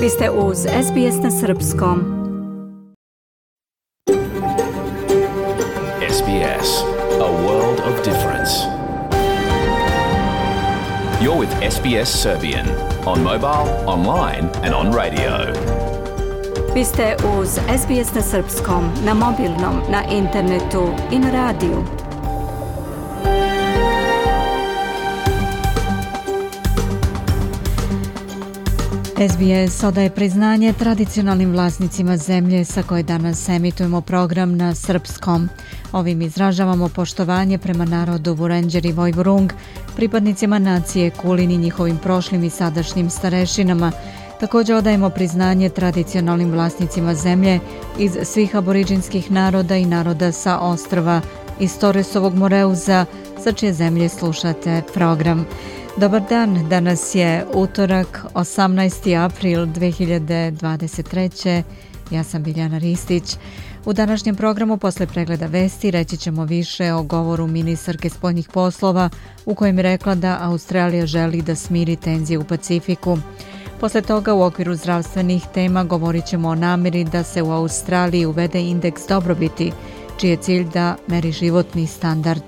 Vi ste uz SBS na srpskom. SBS, a world of difference. You're with SBS Serbian on mobile, online and on radio. Vi ste uz SBS na srpskom, na mobilnom, na internetu i na radiju. SBS odaje priznanje tradicionalnim vlasnicima zemlje sa koje danas emitujemo program na srpskom. Ovim izražavamo poštovanje prema narodu Vurendjer i Vojvurung, pripadnicima nacije Kulin i njihovim prošlim i sadašnjim starešinama. Također odajemo priznanje tradicionalnim vlasnicima zemlje iz svih aboriđinskih naroda i naroda sa ostrva iz Toresovog Moreuza, sa čije zemlje slušate program. Dobar dan, danas je utorak, 18. april 2023. Ja sam Biljana Ristić. U današnjem programu posle pregleda vesti reći ćemo više o govoru ministarke spoljnih poslova u kojem je rekla da Australija želi da smiri tenzije u Pacifiku. Posle toga u okviru zdravstvenih tema govorit ćemo o namjeri da se u Australiji uvede indeks dobrobiti, čiji je cilj da meri životni standard.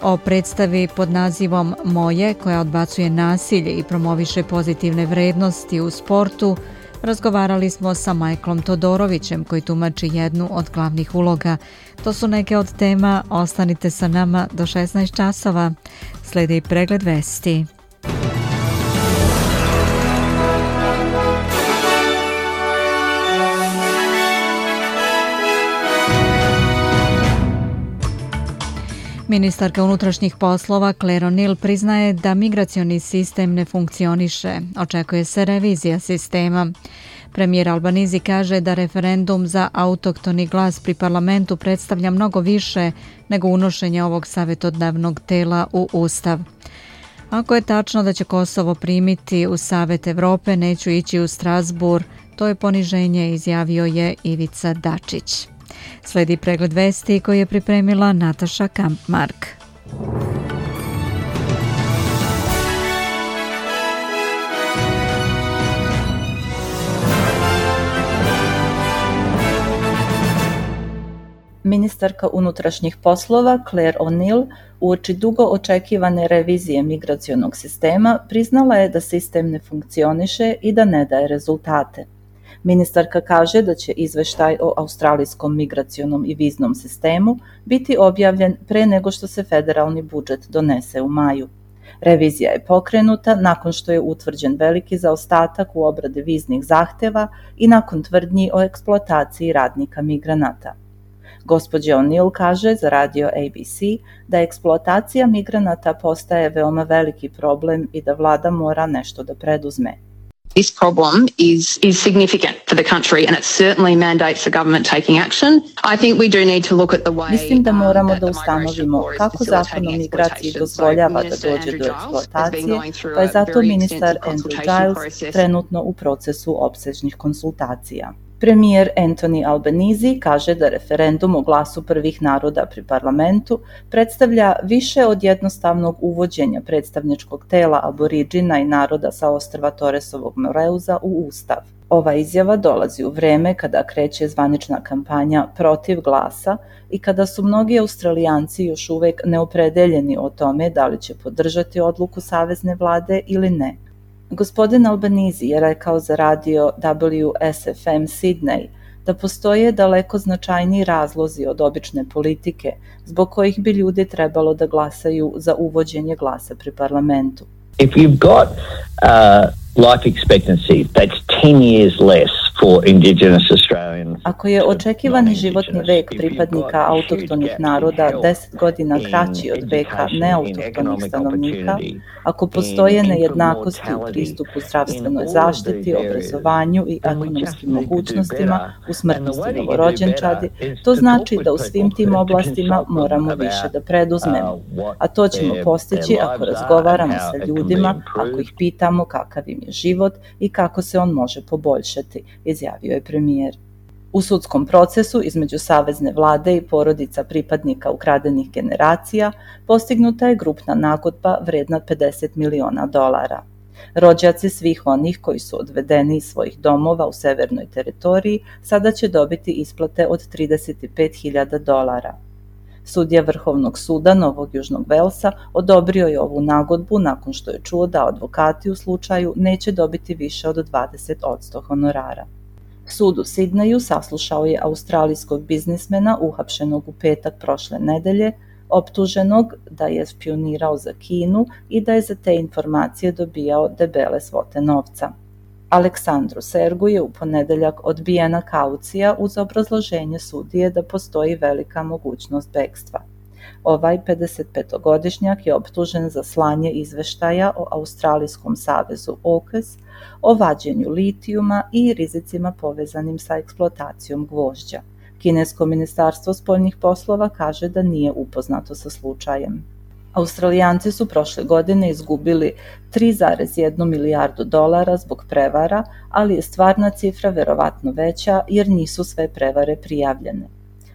O predstavi pod nazivom Moje, koja odbacuje nasilje i promoviše pozitivne vrednosti u sportu, razgovarali smo sa Michaelom Todorovićem, koji tumači jednu od glavnih uloga. To su neke od tema, ostanite sa nama do 16 časova. Slijedi pregled vesti. Ministarka unutrašnjih poslova Claire O'Neill priznaje da migracioni sistem ne funkcioniše. Očekuje se revizija sistema. Premijer Albanizi kaže da referendum za autohtoni glas pri parlamentu predstavlja mnogo više nego unošenje ovog savjetodavnog tela u Ustav. Ako je tačno da će Kosovo primiti u Savet Evrope, neću ići u Strasbourg. To je poniženje, izjavio je Ivica Dačić. Slijedi pregled vesti koji je pripremila Nataša Kampmark. Ministarka unutrašnjih poslova Claire O'Neill uoči dugo očekivane revizije migracionog sistema priznala je da sistem ne funkcioniše i da ne daje rezultate. Ministarka kaže da će izveštaj o australijskom migracionom i viznom sistemu biti objavljen pre nego što se federalni budžet donese u maju. Revizija je pokrenuta nakon što je utvrđen veliki zaostatak u obradi viznih zahteva i nakon tvrdnji o eksploataciji radnika migranata. Gospođa O'Neill kaže za radio ABC da eksploatacija migranata postaje veoma veliki problem i da vlada mora nešto da preduzme. This problem is significant for the country and it certainly mandates the government taking action. I think we do need to look at the way. Mislim da moramo da ustanovimo kako zakon o migraciji dozvoljava da dođe do eksploatacije, pa je zato ministar Andrew Giles trenutno u procesu opsežnih konsultacija. Premijer Anthony Albanese kaže da referendum o glasu prvih naroda pri parlamentu predstavlja više od jednostavnog uvođenja predstavničkog tela aboriđina i naroda sa ostrva Toresovog Moreuza u Ustav. Ova izjava dolazi u vreme kada kreće zvanična kampanja protiv glasa i kada su mnogi Australijanci još uvek neopredeljeni o tome da li će podržati odluku savezne vlade ili ne. Gospodin Albanese je rekao za radio WSFM Sydney da postoje daleko značajniji razlozi od obične politike zbog kojih bi ljudi trebalo da glasaju za uvođenje glasa pri parlamentu. If you've got life expectancy that's 10 years less for Indigenous Australians. Ako je očekivani životni vek pripadnika autohtonih naroda 10 godina kraći od veka neautohtonih stanovnika, ako postoje nejednakosti u pristupu zdravstvenoj zaštiti, obrazovanju i ekonomskim mogućnostima u smrtnosti novorođenčadi, to znači da u svim tim oblastima moramo više da preduzmemo. A to ćemo postići ako razgovaramo sa ljudima, ako ih pitamo kakav im je život i kako se on može poboljšati, izjavio je premijer. U sudskom procesu između savezne vlade i porodica pripadnika ukradenih generacija postignuta je grupna nagodba vredna $50 miliona. Rođaci svih onih koji su odvedeni iz svojih domova u severnoj teritoriji sada će dobiti isplate od $35.000. Sudija Vrhovnog suda Novog Južnog Velsa odobrio je ovu nagodbu nakon što je čuo da advokati u slučaju neće dobiti više od 20% honorara. Sud u Sidneju saslušao je australijskog biznismena uhapšenog u petak prošle nedelje, optuženog da je špijunirao za Kinu i da je za te informacije dobijao debele svote novca. Aleksandru Sergu je u ponedeljak odbijena kaucija uz obrazloženje sudije da postoji velika mogućnost bekstva. Ovaj 55-godišnjak je optužen za slanje izveštaja o Australijskom savezu AUKUS, o vađenju litijuma i rizicima povezanim sa eksploatacijom gvožđa. Kinesko ministarstvo spoljnih poslova kaže da nije upoznato sa slučajem. Australijanci su prošle godine izgubili $3,1 milijardu zbog prevara, ali je stvarna cifra verovatno veća jer nisu sve prevare prijavljene.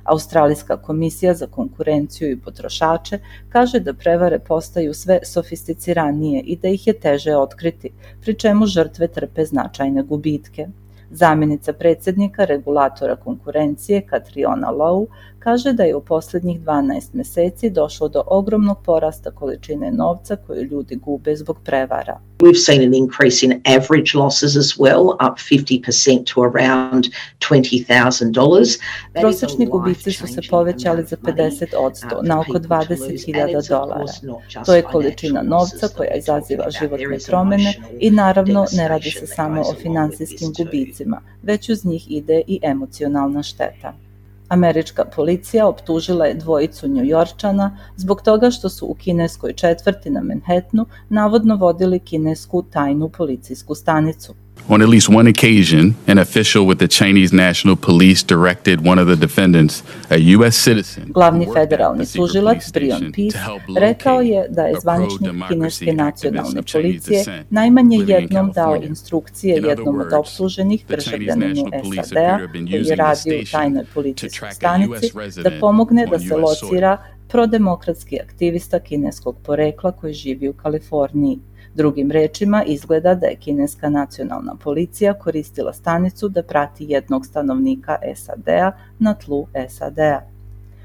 Australijska komisija za konkurenciju i potrošače kaže da prevare postaju sve sofisticiranije i da ih je teže otkriti, pri čemu žrtve trpe značajne gubitke. Zamjenica predsjednika regulatora konkurencije Catriona Lowe kaže da je u posljednjih 12 mjeseci došlo do ogromnog porasta količine novca koju ljudi gube zbog prevara. We've seen an increase in average losses as well, up 50% to around $20,000. Prosječni gubici su se povećali za 50% na oko $20,000. To je količina novca koja izaziva životne promjene i naravno ne radi se samo o finansijskim gubicima, već uz njih ide i emocionalna šteta. Američka policija optužila je dvojicu Njujorčana zbog toga što su u kineskoj četvrti na Manhattanu navodno vodili kinesku tajnu policijsku stanicu. On at least one occasion, an official with the Chinese National Police directed one of the defendants, a U.S. citizen, Glavni federalni tužilac Brian Peace rekao je da je zvaničnik kineske nacionalne policije najmanje jednom dao instrukcije jednom od optuženih državljaninu SAD-a koji je radio u tajnoj policijskoj stanici da pomogne da se locira prodemokratski aktivista kineskog porekla koji živi u Kaliforniji. Drugim rečima, izgleda da je kineska nacionalna policija koristila stanicu da prati jednog stanovnika SAD-a na tlu SAD-a.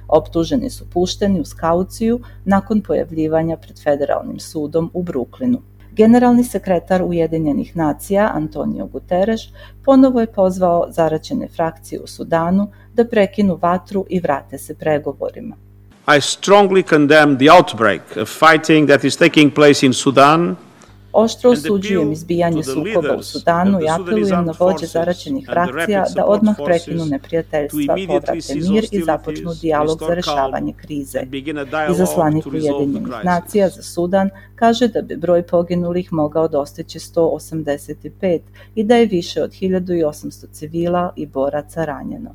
Optuženi su pušteni uz kauciju nakon pojavljivanja pred federalnim sudom u Brooklynu. Generalni sekretar Ujedinjenih nacija Antonio Guterres ponovo je pozvao zaraćene frakcije u Sudanu da prekinu vatru i vrate se pregovorima. I strongly condemn the outbreak of fighting that is taking place in Sudan. Oštro osuđujem izbijanje sukoba u Sudanu i apelujem na vođe zaraćenih frakcija da odmah prekinu neprijateljstva, povrate mir i započnu dijalog za rešavanje krize. Izaslanik Ujedinjenih nacija za Sudan kaže da bi broj poginulih mogao dostići 185 i da je više od 1800 civila i boraca ranjeno.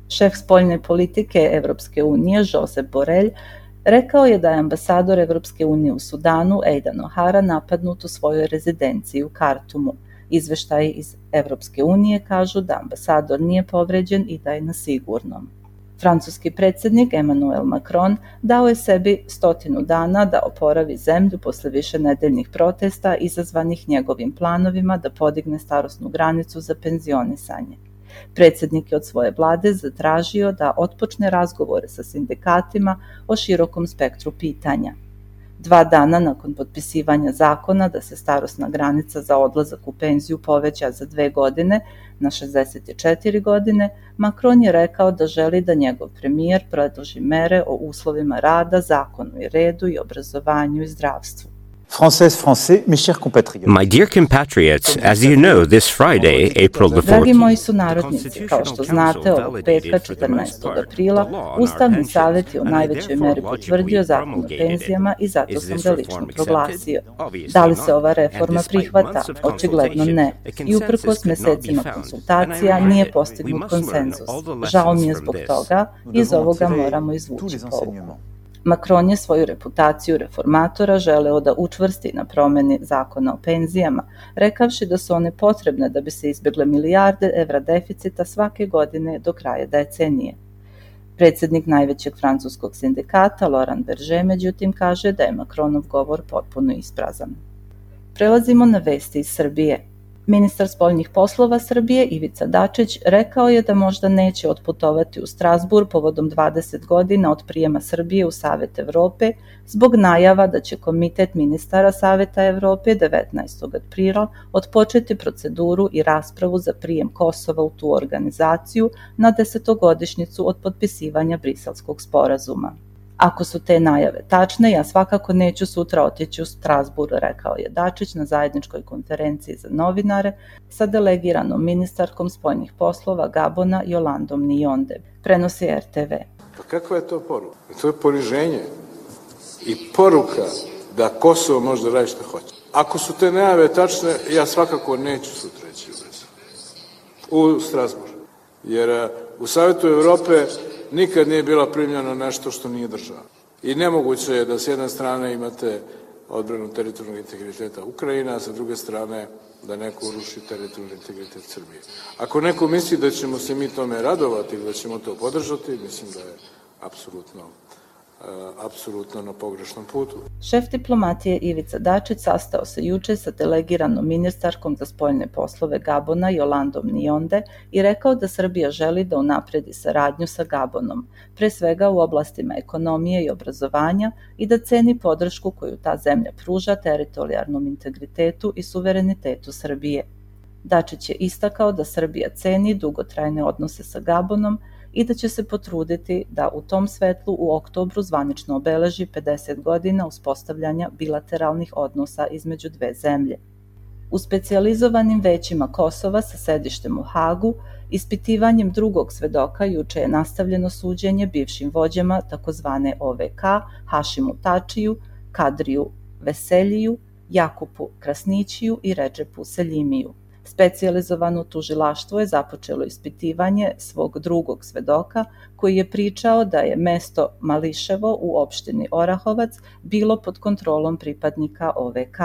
Šef spoljne politike Evropske unije, Josep Borrell, rekao je da je ambasador Evropske unije u Sudanu, Aidan O'Hara, napadnut u svojoj rezidenciji u Kartumu. Izveštaji iz Evropske unije kažu da ambasador nije povređen i da je na sigurnom. Francuski predsjednik Emmanuel Macron dao je sebi 100 dana da oporavi zemlju posle višenedeljnih protesta izazvanih njegovim planovima da podigne starosnu granicu za penzionisanje. Predsjednik je od svoje vlade zatražio da otpočne razgovore sa sindikatima o širokom spektru pitanja. 2 dana nakon potpisivanja zakona da se starosna granica za odlazak u penziju poveća za 2 godine na 64 godine, Macron je rekao da želi da njegov premijer predloži mere o uslovima rada, zakonu i redu i obrazovanju i zdravstvu. My dear compatriots, as you know, this Friday, April the 14th, Dragi moji sunarodnici, kao što znate, ovog petka 14. aprila, Ustavni savjet je u najvećoj meri potvrdio zakon o penzijama i zato sam ga lično proglasio. Da li se ova reforma prihvata? Očigledno ne. I uprkos mesecima konsultacija nije postignut konsenzus. Žao mi je zbog toga, iz ovoga moramo izvući pouku. Macron je svoju reputaciju reformatora želeo da učvrsti na promjeni zakona o penzijama, rekavši da su one potrebne da bi se izbjegle milijarde evra deficita svake godine do kraja decenije. Predsjednik najvećeg francuskog sindikata Laurent Berger međutim kaže da je Macronov govor potpuno isprazan. Prelazimo na vesti iz Srbije. Ministar spoljnih poslova Srbije Ivica Dačić rekao je da možda neće otputovati u Strazbur povodom 20 godina od prijema Srbije u Savet Evrope zbog najava da će Komitet ministara Saveta Evrope 19. aprila otpočeti proceduru i raspravu za prijem Kosova u tu organizaciju na 10-godišnjicu od potpisivanja Briselskog sporazuma. Ako su te najave tačne, ja svakako neću sutra otići u Strazbur, rekao je Dačić na zajedničkoj konferenciji za novinare sa delegiranom ministarkom spoljnih poslova Gabona Jolandom Nionde, prenosi RTV. Pa kakva je to poruka? To je poniženje i poruka da Kosovo može da radi što hoće. Ako su te najave tačne, ja svakako neću sutra ići u Strazbur, jer u Savetu Evrope nikad nije bila primljeno nešto što nije država. I nemoguće je da s jedne strane imate odbranu teritorijalnog integriteta Ukrajine, a sa druge strane da neko uruši teritorijalni integritet Srbije. Ako neko misli da ćemo se mi tome radovati ili da ćemo to podržati, mislim da je apsolutno na pogrešnom putu. Šef diplomatije Ivica Dačić sastao se juče sa delegiranom ministarkom za spoljne poslove Gabona Jolandom Nionde i rekao da Srbija želi da unapredi saradnju sa Gabonom, pre svega u oblastima ekonomije i obrazovanja, i da ceni podršku koju ta zemlja pruža teritorijalnom integritetu i suverenitetu Srbije. Dačić je istakao da Srbija ceni dugotrajne odnose sa Gabonom i da će se potruditi da u tom svetlu u oktobru zvanično obeleži 50 godina uspostavljanja bilateralnih odnosa između dve zemlje. U specijalizovanim većima Kosova sa sedištem u Hagu, ispitivanjem drugog svedoka juče je nastavljeno suđenje bivšim vođama takozvane OVK, Hašimu Tačiju, Kadriju Veseljiju, Jakupu Krasnićiju i Redžepu Seljimiju. Specijalizovano tužilaštvo je započelo ispitivanje svog drugog svedoka koji je pričao da je mesto Mališevo u opštini Orahovac bilo pod kontrolom pripadnika OVK.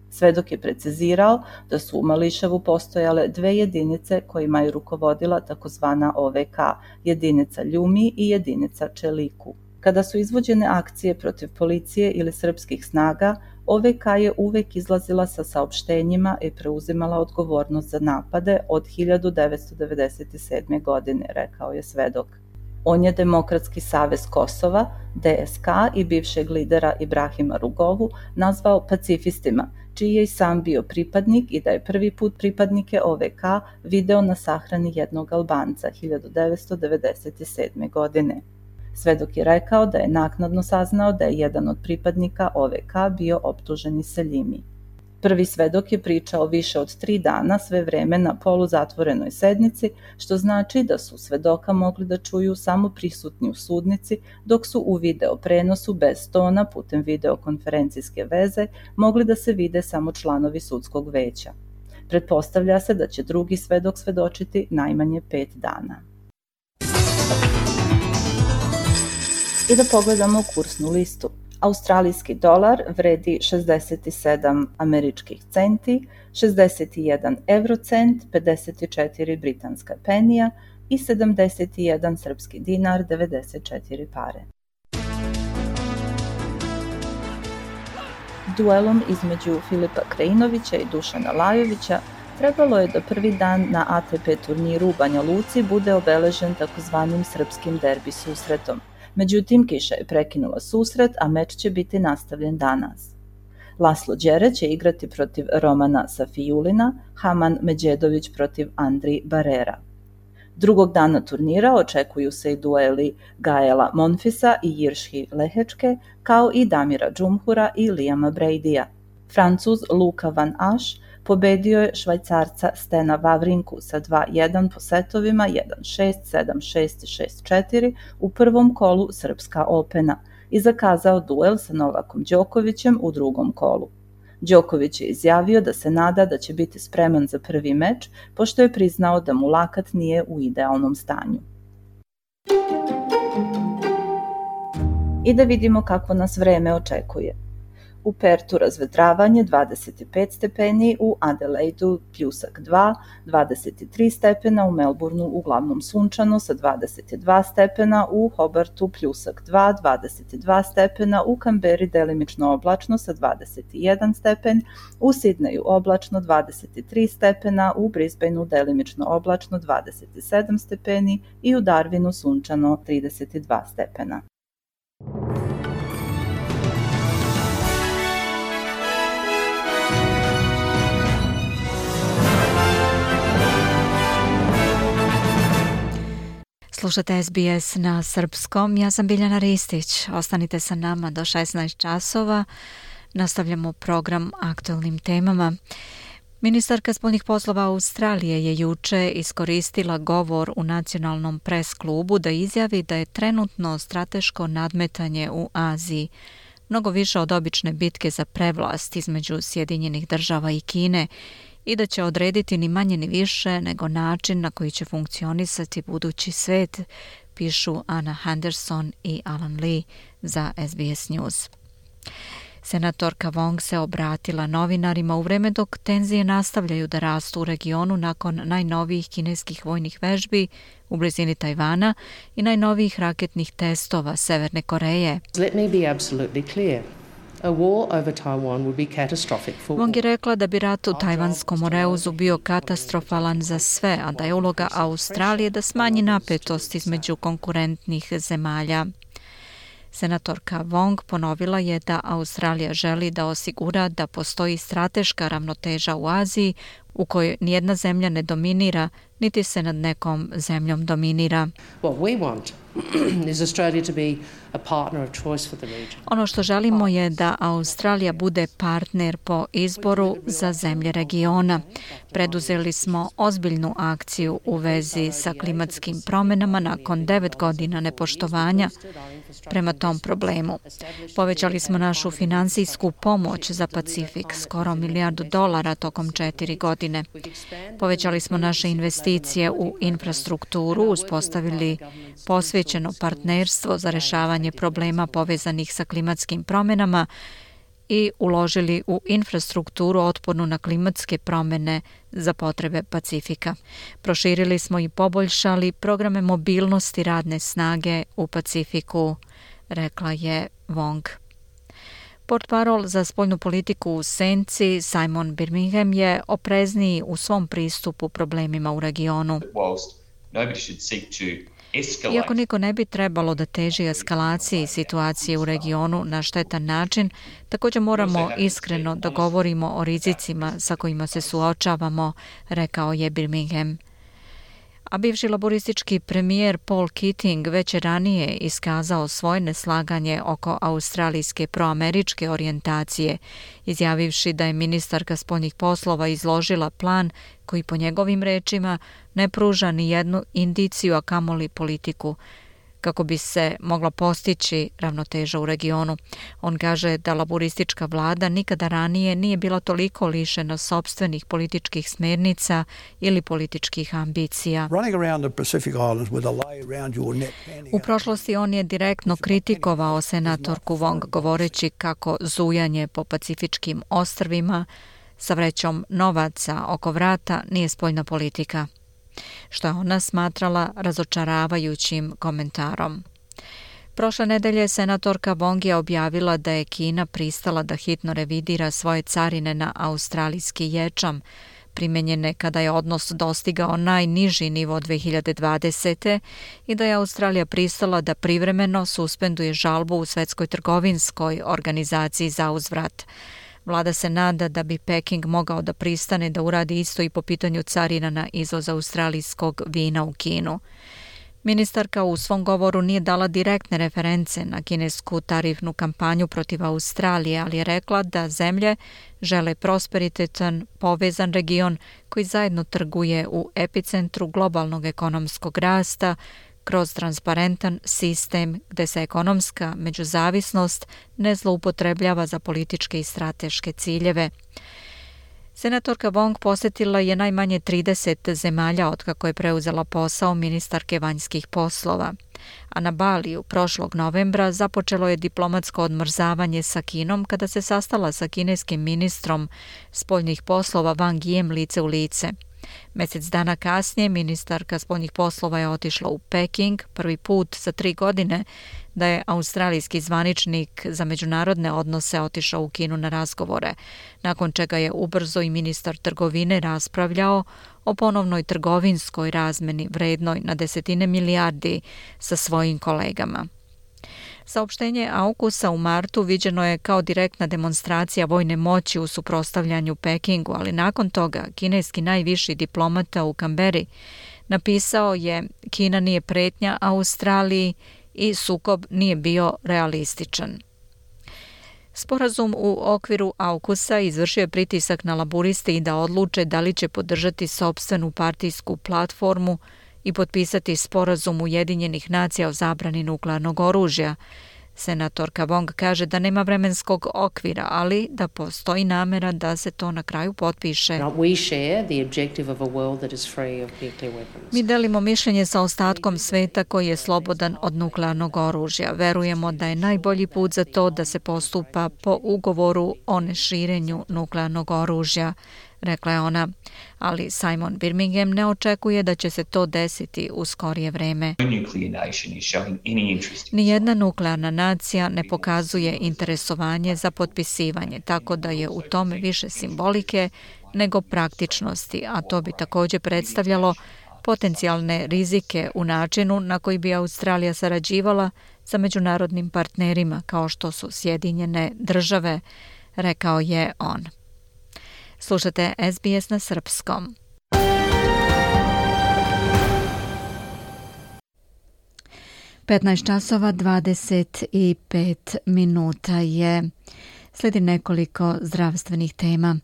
Svedok je precizirao da su u Mališevu postojale dve jedinice kojima je rukovodila takozvana OVK, jedinica Ljumi i jedinica Čeliku. Kada su izvođene akcije protiv policije ili srpskih snaga, OVK je uvek izlazila sa saopštenjima i preuzimala odgovornost za napade od 1997. godine, rekao je svedok. On je Demokratski savez Kosova, DSK, i bivšeg lidera Ibrahima Rugovu nazvao pacifistima, čiji je i sam bio pripadnik i da je prvi put pripadnike OVK video na sahrani jednog Albanca 1997. godine. Svedok je rekao da je naknadno saznao da je jedan od pripadnika OVK bio optuženi Seljimi. Prvi svedok je pričao više od 3 dana, sve vreme na poluzatvorenoj sednici, što znači da su svedoka mogli da čuju samo prisutni u sudnici, dok su u video prenosu bez tona putem videokonferencijske veze mogli da se vide samo članovi sudskog veća. Pretpostavlja se da će drugi svedok svedočiti najmanje 5 dana. I da pogledamo kursnu listu. Australijski dolar vredi 67 američkih centi, 61 eurocent, 54 britanska penija i 71 srpski dinar, 94 pare. Duelom između Filipa Krajinovića i Dušana Lajovića trebalo je da prvi dan na ATP turniru u Banja Luci bude obeležen takozvanim srpskim derbi susretom. Međutim, kiša je prekinula susret, a meč će biti nastavljen danas. Laslo Đere će igrati protiv Romana Safijulina, Haman Međedović protiv Andri Barera. Drugog dana turnira očekuju se i dueli Gaela Monfisa i Jirši Lehečke, kao i Damira Džumhura i Liama Bradya. Francuz Luka Van Asch pobedio je Švajcarca Stena Vavrinku sa 2-1 po setovima 1-6, 7-6 i 6-4 u prvom kolu Srpska Opena i zakazao duel sa Novakom Đokovićem u drugom kolu. Đoković je izjavio da se nada da će biti spreman za prvi meč, pošto je priznao da mu lakat nije u idealnom stanju. I da vidimo kako nas vreme očekuje. u Pertu razvedravanje 25 stepeni, u Adelaidu pljusak 2, 23 stepena, u Melbourneu uglavnom sunčano sa 22 stepena, u Hobartu pljusak 2, 22 stepena, u Kamberi delimično oblačno sa 21 stepen, u Sidneju oblačno 23 stepena, u Brisbaneu delimično oblačno 27 stepeni i u Darwinu sunčano 32 stepena. Slušate SBS na srpskom, ja sam Biljana Ristić. Ostanite sa nama do 16 časova. Nastavljamo program aktualnim temama. Ministarka spoljnih poslova Australije je juče iskoristila govor u nacionalnom pres klubu da izjavi da je trenutno strateško nadmetanje u Aziji mnogo više od obične bitke za prevlast između Sjedinjenih država i Kine i da će odrediti ni manje ni više nego način na koji će funkcionisati budući svet, pišu Anna Henderson i Alan Lee za SBS News. Senatorka Wong se obratila novinarima u vreme dok tenzije nastavljaju da rastu u regionu nakon najnovijih kineskih vojnih vežbi u blizini Tajvana i najnovijih raketnih testova Severne Koreje. Let me be absolutely clear. A war over Taiwan would be catastrophic for all. Wong je rekla da bi rat u Tajvanskom Moreuzu bio katastrofalan za sve, a da je uloga Australije da smanji napetost između konkurentnih zemalja. Senatorka Wong ponovila je da Australija želi da osigura da postoji strateška ravnoteža u Aziji u kojoj nijedna zemlja ne dominira, niti se nad nekom zemljom dominira. What we want is Australia to be a partner of choice for the region. Ono što želimo je da Australija bude partner po izboru za zemlje regiona. Preduzeli smo ozbiljnu akciju u vezi sa klimatskim promjenama nakon 9 godina nepoštovanja prema tom problemu. Povećali smo našu finansijsku pomoć za Pacifik, skoro $1 milijardu tokom 4 godine. Povećali smo naše investicije u infrastrukturu, uspostavili posvećeno partnerstvo za rješavanje problema povezanih sa klimatskim promjenama i uložili u infrastrukturu otpornu na klimatske promjene za potrebe Pacifika. Proširili smo i poboljšali programe mobilnosti radne snage u Pacifiku, rekla je Wong. Portparol za spoljnu politiku u senci Simon Birmingham je oprezniji u svom pristupu problemima u regionu. Iako niko ne bi trebalo da teži eskalaciji situacije u regionu na štetan način, također moramo iskreno da govorimo o rizicima sa kojima se suočavamo, rekao je Birmingham. A bivši laboristički premijer Paul Keating već je ranije iskazao svoje neslaganje oko australijske proameričke orijentacije, izjavivši da je ministarka spoljnih poslova izložila plan koji po njegovim rečima ne pruža ni jednu indiciju, a kamoli politiku, kako bi se mogla postići ravnoteža u regionu. On kaže da laboristička vlada nikada ranije nije bila toliko lišena sopstvenih političkih smernica ili političkih ambicija. U prošlosti on je direktno kritikovao senatorku Wong, govoreći kako zujanje po pacifičkim ostrvima sa vrećom novaca oko vrata nije spoljna politika, što je ona smatrala razočaravajućim komentarom. Prošle nedelje senatorka Wong je objavila da je Kina pristala da hitno revidira svoje carine na australijski ječam, primenjene kada je odnos dostigao najniži nivo 2020. i da je Australija pristala da privremeno suspenduje žalbu u Svetskoj trgovinskoj organizaciji za uzvrat. Vlada se nada da bi Peking mogao da pristane da uradi isto i po pitanju carina na izvoz australijskog vina u Kinu. Ministarka u svom govoru nije dala direktne reference na kinesku tarifnu kampanju protiv Australije, ali je rekla da zemlje žele prosperitetan, povezan region koji zajedno trguje u epicentru globalnog ekonomskog rasta kroz transparentan sistem gde se ekonomska međuzavisnost ne zloupotrebljava za političke i strateške ciljeve. Senatorka Wong posjetila je najmanje 30 zemalja otkako je preuzela posao ministarke vanjskih poslova. a na Baliju prošlog novembra započelo je diplomatsko odmrzavanje sa Kinom kada se sastala sa kineskim ministrom spoljnih poslova Wang Yijem lice u lice. Mjesec dana kasnije ministarka spoljnih poslova je otišla u Peking, prvi put za 3 godine da je australijski zvaničnik za međunarodne odnose otišao u Kinu na razgovore, nakon čega je ubrzo i ministar trgovine raspravljao o ponovnoj trgovinskoj razmeni vrednoj na desetine milijardi sa svojim kolegama. Saopštenje AUKUS-a u martu viđeno je kao direktna demonstracija vojne moći u suprotstavljanju Pekingu, ali nakon toga kineski najviši diplomata u Kamberi napisao je: Kina nije pretnja Australiji i sukob nije bio realističan. Sporazum u okviru AUKUS-a izvršio je pritisak na laburiste i da odluče da li će podržati sopstvenu partijsku platformu i potpisati sporazum Ujedinjenih nacija o zabrani nuklearnog oružja. Senatorka Wong kaže da nema vremenskog okvira, ali da postoji namera da se to na kraju potpiše. Mi delimo mišljenje sa ostatkom sveta koji je slobodan od nuklearnog oružja. Verujemo da je najbolji put za to da se postupa po ugovoru o neširenju nuklearnog oružja, rekla je ona, ali Simon Birmingham ne očekuje da će se to desiti u skorije vreme. Nijedna nuklearna nacija ne pokazuje interesovanje za potpisivanje, tako da je u tome više simbolike nego praktičnosti, a to bi također predstavljalo potencijalne rizike u načinu na koji bi Australija sarađivala sa međunarodnim partnerima kao što su Sjedinjene države, rekao je on. Slušate SBS na srpskom. (15:25 je. Slijedi nekoliko zdravstvenih tema.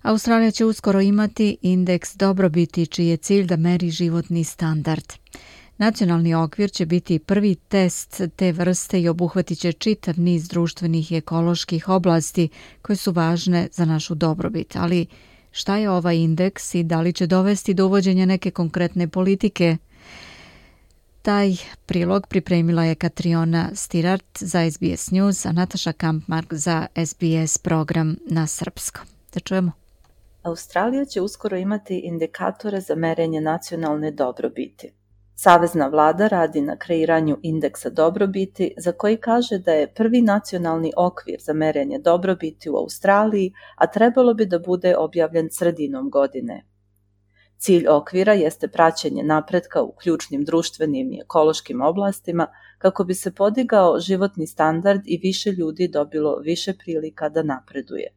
Australija će uskoro imati indeks dobrobiti čiji je cilj da meri životni standard. Nacionalni okvir će biti prvi test te vrste i obuhvatit će čitav niz društvenih i ekoloških oblasti koje su važne za našu dobrobit. Ali šta je ovaj indeks i da li će dovesti do uvođenja neke konkretne politike? Taj prilog pripremila je Katriona Stirart za SBS News, a Nataša Kampmark za SBS program na srpskom. Da čujemo. Australija će uskoro imati indikatore za merenje nacionalne dobrobiti. Savezna vlada radi na kreiranju indeksa dobrobiti za koji kaže da je prvi nacionalni okvir za merenje dobrobiti u Australiji, a trebalo bi da bude objavljen sredinom godine. Cilj okvira jeste praćenje napretka u ključnim društvenim i ekološkim oblastima kako bi se podigao životni standard i više ljudi dobilo više prilika da napreduje.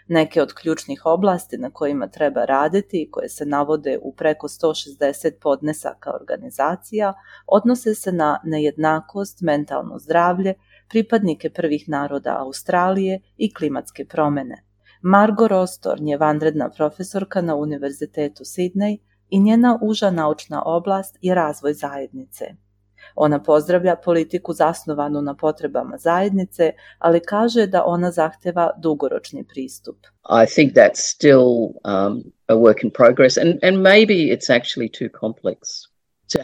Neke od ključnih oblasti na kojima treba raditi i koje se navode u preko 160 podnesaka organizacija odnose se na nejednakost, mentalno zdravlje, pripadnike prvih naroda Australije i klimatske promjene. Margo Rostorn je vanredna profesorka na Univerzitetu Sydney i njena uža naučna oblast je razvoj zajednice. Ona pozdravlja politiku zasnovanu na potrebama zajednice, ali kaže da ona zahteva dugoročni pristup. I think that's still a work in progress and maybe it's actually too complex.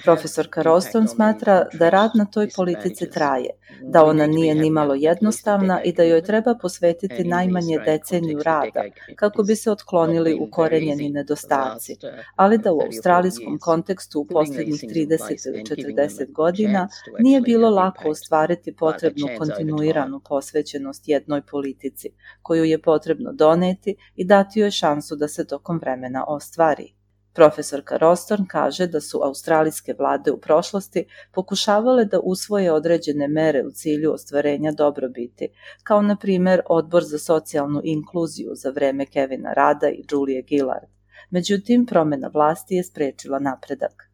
Profesorka Roston smatra da rad na toj politici traje, da ona nije nimalo jednostavna i da joj treba posvetiti najmanje deceniju rada kako bi se otklonili ukorenjeni nedostaci, ali da u australijskom kontekstu u posljednjih 30 ili 40 godina nije bilo lako ostvariti potrebnu kontinuiranu posvećenost jednoj politici, koju je potrebno doneti i dati joj šansu da se tokom vremena ostvari. Profesorka Rostorn kaže da su australijske vlade u prošlosti pokušavale da usvoje određene mere u cilju ostvarenja dobrobiti, kao na primjer Odbor za socijalnu inkluziju za vreme Kevina Rada i Julie Gillard. Međutim, promjena vlasti je spriječila napredak.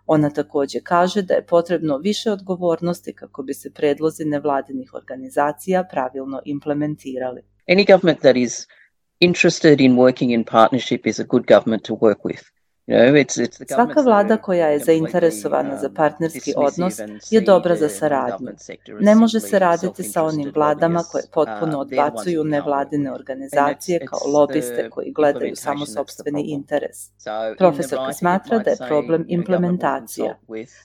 Ona također kaže da je potrebno više odgovornosti kako bi se predlozi nevladinih organizacija pravilno implementirali. Any government that is interested in working in partnership is a good government to work with. Svaka vlada koja je zainteresovana za partnerski odnos je dobra za saradnju. Ne može se raditi sa onim vladama koje potpuno odbacuju nevladine organizacije kao lobiste koji gledaju samo sopstveni interes. Profesorka smatra da je problem implementacija.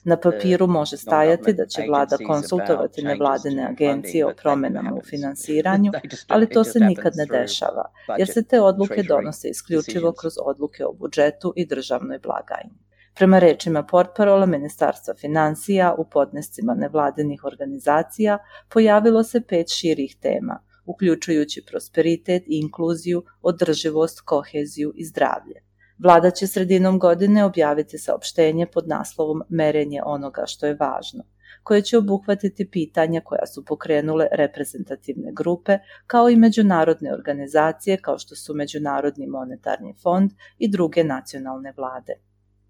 Na papiru može stajati da će vlada konsultovati nevladine agencije o promenama u finansiranju, ali to se nikad ne dešava, jer se te odluke donose isključivo kroz odluke o budžetu i državnoj blagajni. Prema rečima portparola Ministarstva finansija, u podnescima nevladinih organizacija pojavilo se 5 širih tema, uključujući prosperitet i inkluziju, održivost, koheziju i zdravlje. Vlada će sredinom godine objaviti saopštenje pod naslovom Merenje onoga što je važno, koje će obuhvatiti pitanja koja su pokrenule reprezentativne grupe, kao i međunarodne organizacije kao što su Međunarodni monetarni fond i druge nacionalne vlade.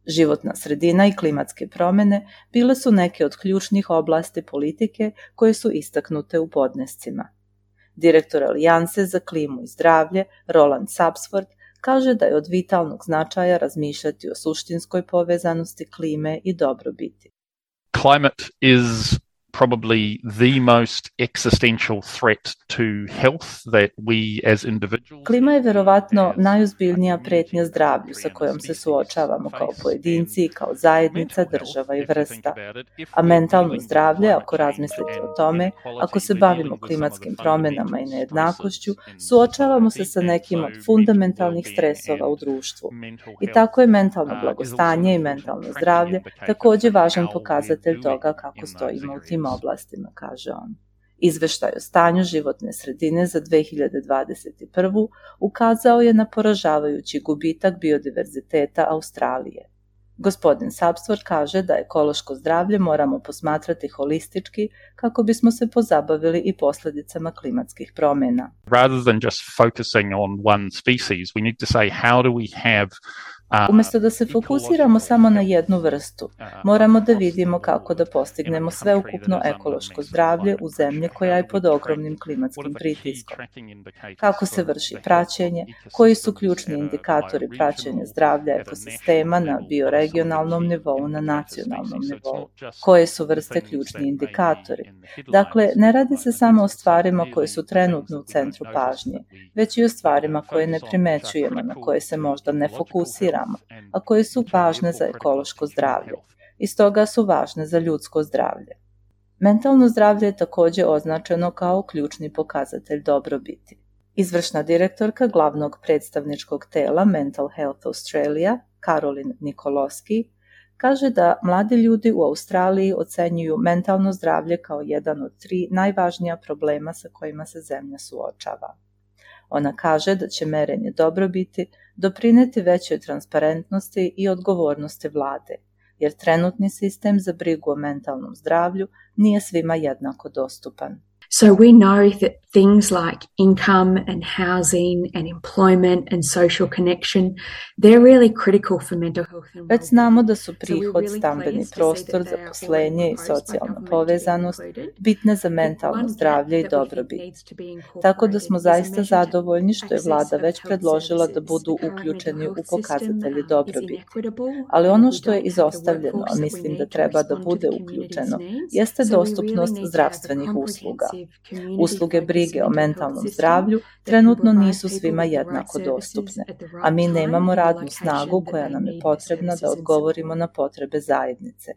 Životna sredina i klimatske promjene bile su neke od ključnih oblasti politike koje su istaknute u podnescima. Direktor Alijanse za klimu i zdravlje, Roland Sapsford, kaže da je od vitalnog značaja razmišljati o suštinskoj povezanosti klime i dobrobiti. Climate is probably the most existential threat to health that we as individuals. Klima je verovatno najozbiljnija pretnja zdravlju sa kojom se suočavamo kao pojedinci, kao zajednica, država i vrsta. A mentalno zdravlje, ako razmislite o tome, ako se bavimo klimatskim promjenama i nejednakošću, suočavamo se sa nekim od fundamentalnih stresova u društvu. I tako je mentalno blagostanje i mentalno zdravlje također važan pokazatelj toga kako stojimo u tim oblastima, kaže on. Izveštaj o stanju životne sredine za 2021. ukazao je na poražavajući gubitak biodiverziteta Australije. Gospodin Sapsford kaže da ekološko zdravlje moramo posmatrati holistički kako bismo se pozabavili i posljedicama klimatskih promjena. Rather than just focusing on one species, we need to say how do we have Umjesto da se fokusiramo samo na jednu vrstu, moramo da vidimo kako da postignemo sveukupno ekološko zdravlje u zemlji koja je pod ogromnim klimatskim pritiskom. Kako se vrši praćenje, koji su ključni indikatori praćenja zdravlja ekosistema na bioregionalnom nivou, na nacionalnom nivou, koje su vrste ključni indikatori. Dakle, ne radi se samo o stvarima koje su trenutno u centru pažnje, već i o stvarima koje ne primećujemo, na koje se možda ne fokusiramo, a koje su važne za ekološko zdravlje i stoga su važne za ljudsko zdravlje. Mentalno zdravlje je također označeno kao ključni pokazatelj dobrobiti. Izvršna direktorka glavnog predstavničkog tela Mental Health Australia, Caroline Nicoloski, kaže da mladi ljudi u Australiji ocenjuju mentalno zdravlje kao jedan od 3 najvažnija problema sa kojima se zemlja suočava. Ona kaže da će merenje dobrobiti doprinijeti većoj transparentnosti i odgovornosti vlade, jer trenutni sistem za brigu o mentalnom zdravlju nije svima jednako dostupan. So we know that things like income and housing and employment and social connection, they're really critical for mental health and well-being. Već znamo da su prihod, stambeni prostor, zaposlenje i socijalna povezanost bitne za mentalno zdravlje i dobrobit. Tako da smo zaista zadovoljni što je vlada već predložila da budu uključeni u pokazatelji dobrobiti. Ali ono što je izostavljeno, a mislim da treba da bude uključeno, jeste dostupnost zdravstvenih usluga. Usluge brige o mentalnom zdravlju trenutno nisu svima jednako dostupne, a mi nemamo radnu snagu koja nam je potrebna da odgovorimo na potrebe zajednice.